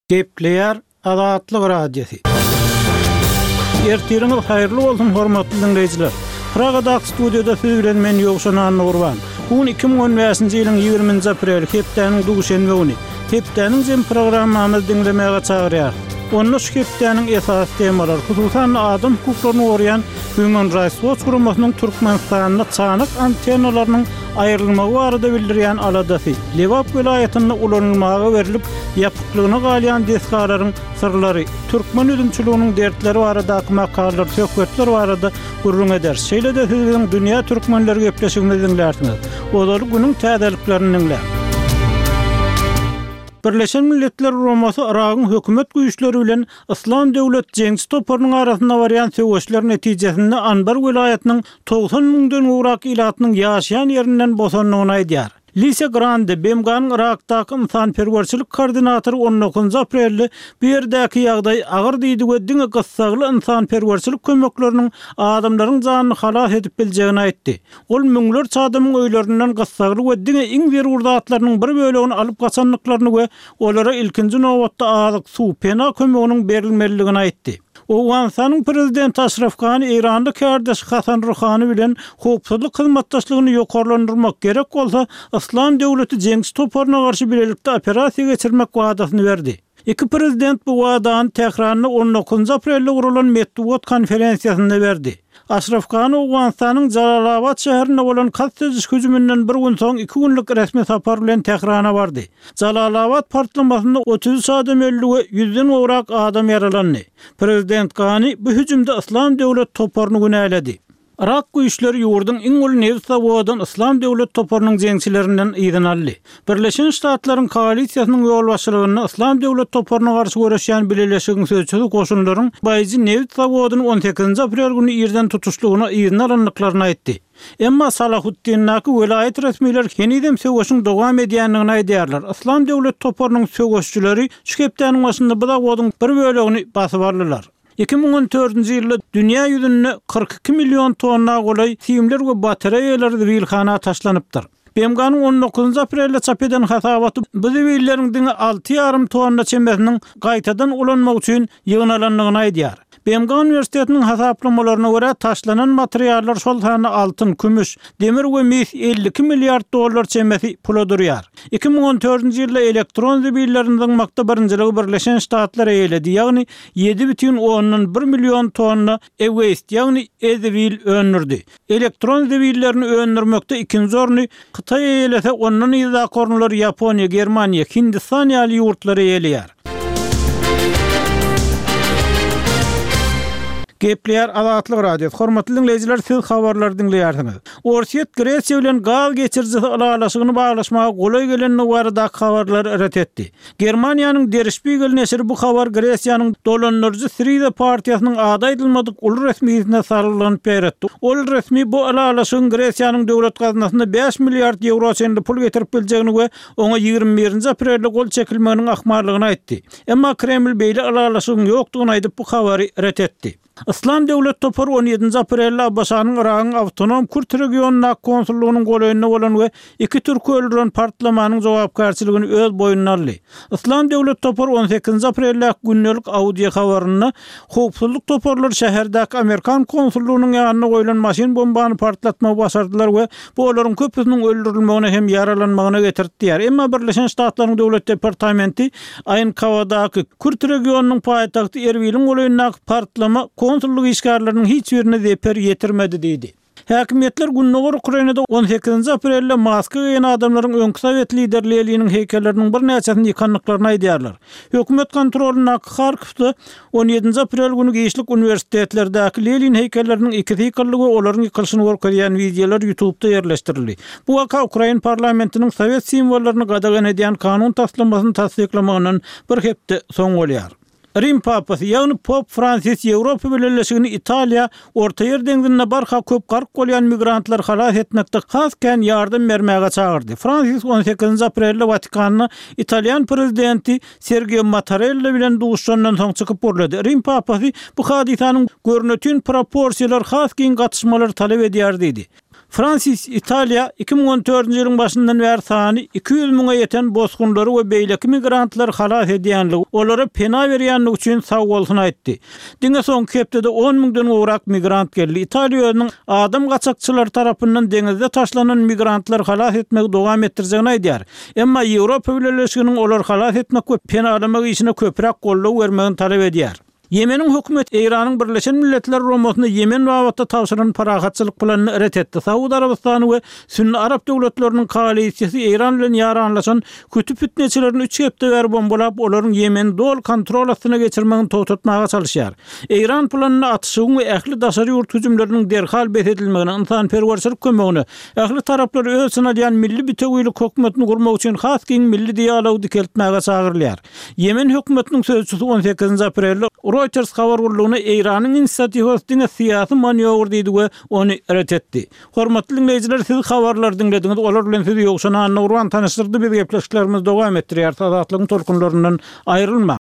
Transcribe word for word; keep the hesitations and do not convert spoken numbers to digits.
Gepleýär Azatlyk Radiosy. Ertiriňiz haýyrly bolsun, hormatly diňleýjiler! Pragadaky studiýada siz bilen men Ýowşan Annagurban. Bu gün iki müň on bäşinji ýylyň ýigriminji apreli, hepdäniň duşenbe güni. Hepdäniň jem programmamyzy diňlemäge çagyrýarys. Onda şu hepdäniň esasy temalary, hususan-da adam hukuklaryny goraýan Human Rights Watch guramasynyň Türkmenistanda çanak antennalarynyň aýrylmagy barada bildirýän aladasy, Lebap welaýatynda ulanylmaga berlip, ýapyklygyna galýan desgalaryň syrlary, türkmen üzümçiliginiň dertleri baradaky makalalar, söhbetler barada gürrüň ederis. Şeýle-de siz biziň Dünýä Türkmenleri gepleşigimizi diňlärsiňiz. Ozaly günüň täzeliklerini diňläň. Birleşen Milletler Guramasy Yragyň hökümet güýçleri bilen Yslam döwlet jeňçi toparynyň arasynda barýan söweşler netijesinde Anbar welaýatynyň togsan müňden gowrak ilatynyň ýaşaýan ýerinden bosandygyny aýdýar. Lisa Grande, B M G-nyň Yrakdaky ynsanperwerçilik koordinatory on dokuzynjy aprelde bu ýerdäki ýagdaý agyr diýdi we diňe gyssagly ynsanperwerçilik kömekleriniň adamlaryň janyny halas edip biljegini aýtdy. Ol müňlerçe adamyň öýlerinden gyssagly we diňe iň zerur zatlarynyň bir bölegini alyp gaçandyklaryny we olara ilkinji nobatda azyk, suw, pena kömeginiň berilmelidigini aýtdy. Owganystanyň prezidenti Aşraf Gani Eýranly kärdeşi Hasan Ruhani bilen howpsuzlyk hyzmatdaşlygyny ýokarlandyrmak gerek bolsa, Yslam döwleti jeňçi toparyna garşy bilelikde operasiýa geçirmek wadasyny berdi. Iki prezident bu wadany Tähranda on dokuzynjy aprelde guralan metbugat konferensiýasynda berdi. Aşraf Gani Owganystanyň Jalalabad şäherinde bolan kast ediş hüjüminden bir gün soň iki günlük resmi sapar bilen Tährana bardy. Jalalabad partlamasynda otuz üç adam öldi we ýüzden gowrak adam ýaralandy. Prezident Gani bu hüjümde Yslam döwlet toparyny günäledi. Irak güýçleri ýurduň iň uly nebit zawodyny Yslam döwlet toparynyň jeňçilerinden yzyna aldy. Birleşen Ştatlaryň koalisiýasynyň ýolbaşçylygynda Yslam döwlet toparyna garşy göreşýän bileleşigiň sözçüsi goşunlaryň Baýji nebit zawodyny on sekizinji aprel güni irden tutuşlygyna yzyna alyndyklaryny aýtdy. Emma Salahuddindäki welaýat resmiler henizem söweşiň dowam edýändigini aýdýarlar. Yslam döwlet toparynyň söweşçileri şu hepdäniň başynda bu zawodyň bir bölegini basyp aldylar. Iki müň on dördünji ýylda dünýä ýüzünde kyrk iki million tonna golaý simler we batareýalar zibilhana taşlanypdyr. B M G-nyň on dokuzynjy aprelde çap eden hasabaty bu zibilleriň diňe alty ýarym tonna çemesiniň gaýtadan ulanmak üçin ýygnalandygyny aýdýar. B M G uniwersitetiniň hasaplamalaryna görä taşlanan materiallar şol sanda altyn, kümüş, demir we mis elli iki milliard dollar çemesi pula durýar. Iki müň on dördünji ýylda elektron zibillerini zyňmakda birinjiligi Birleşen Ştatlar eýeledi, ýagny ýedi bütin ondan bir million tonna e-waste, ýagny e-zibil öndürdi. Elektron zibillerini öndürmekde ikinji orny Hytaý eýelese, ondan yzdaky orunlar Ýaponiýa, Germaniýa, Hindistan ýaly ýurtlar eýeleýär. Gepleýär Azatlyk Radiosy. Hormatly diňleýjiler, siz habarlary diňleýärsiňiz. Orsýet Gresiýa bilen gaz geçirijisi ylalaşygyny baglaşmaga golaý gelendigi baradaky habarlary ret etdi. Germaniýanyň Der Spiegel neşiri bu habar Gresiýanyň dolandyryjy Syriza partiýasynyň ady aýdylmadyk uly resmisine salgylanyp ýaýratdy. Ol resmi bu ylalaşygyň Gresiýanyň döwlet gaznasyna bäş milliard ýewro çenli pul getirip biljegini we oňa ýigrimi birinji aprelde gol çekilmeginiň ahmallygyny aýtdy. Emma Kreml beýle ylalaşygyň ýokdugyny aýdyp bu habary ret etdi. Yslam döwlet topary on ýedinji aprelde A B Ş-nyň Yragyň awtonom Kürt regionyndaky konsullygynyň golaýynda bolan we iki türki öldüren partlamanyň jogapkärçiligini öz boýnuna aldy. Yslam döwlet topary on sekizinji apreldäki gündelik audio habarynda howpsuzlyk toparlary şäherdäki Amerikan konsullygynyň ýanynda goýlan maşyn bombany partlatmagy başardylar we bu olaryň köpüsiniň öldürilmegine hem ýaralanmagyna getirdi diýär. Emma Birleşen Ştatlaryň döwlet departamenti Aýnkawadaky Kürt regionynyň paýtagty Erbiliň golaýyndaky partlama konsullyk işgärleriniň hiç birine zeper ýetirmedi diýdi. Häkimiýetler Gündogar Ukrainada on sekizinji aprelde maska geýen adamlaryň öňki sowet lideri Leniniň heýkelleriniň birnäçesini ýykandyklaryny aýdýarlar. Hökümet kontrolyndaky Harkowda on ýedinji aprel güni giçlik uniwersitetlerdäki Lenin heýkelleriniň ikisi ýykyldy we olaryň ýykylyşyny görkezýän wideolar YouTube'da ýerleşdirildi. Bu waka Ukrain parlamentiniň sowet simwollaryny gadagan edýän kanun taslamasyny tassyklamagyndan bir hepde soň bolýar. Rim papasy, ýagny Pop Fransis Ýewropa Bileleşigini Italiýa Orta Ýer deňzinde barha köp gark bolýan migrantlar halas etmekde has kän ýardam bermäge çagyrdy. Fransis on sekizinji aprelde Watikanda Italýan prezidenti Sergio Mattarella bilen duşandan soň çykyp gürledi. Rim papasy bu hadysanyň görnütün proporsiýalar has giň gatyşmalary talap edýär diýdi. Fransis Italiýa iki müň on dördünji ýylyň başyndan bäri sany iki ýüz müňe ýeten bosgunlary we beýleki migrantlary halas edýänligi, olara pena berýänligi üçin sagbolsun aýtdy. Diňe soňky hepdede on müňden gowrak migrant geldi. Italiýa özüniň adam gaçakçylary tarapyndan deňizde taşlanan migrantlary halas etmegi dowam etdirjegini aýdýar. Emma Ýewropa Bileleşiginiň olary halas etmek we penalamak işine köpräk goldaw bermegini talap edýär. Ýemeniň hökümeti Eýranyň Birleşen Milletler Guramasyna Ýemen babatda tabşyran parahatçylyk planyny ret etdi. Saud Arabystany we sünni arap döwletleriniň koalisiýasy Eýran bilen ýaranlaşan hüti pitneçilerini üç hepde bäri bombalap, olaryň Ýemeni doly kontrol astyna geçirmegini togtatmaga çalyşýar. Eýran planynda atyşygyň we ähli daşary ýurt hüjümleriniň derhal bes edilmegine, ynsanperwerçilik kömegine, ähli taraplary öz içine alýan milli bitewilik hökümetini gurmak üçin has giň milli dialogy dikeltmäge çagyrylýar. Ýemen hökümetiniň sözçüsi on sekizinji aprelde Reuters habar gullugyna Eýranyň inisiatiwasy diňe syýasy manýowr diýdi we ony ret etdi. Hormatly diňleýjiler, siz habarlary diňlediňiz, olar bilen sizi Ýowşan Annagurban tanyşdyrdy, biz gepleşiklerimizi dowam etdirýäris, Azatlygyň tolkunlaryndan aýrylmaň!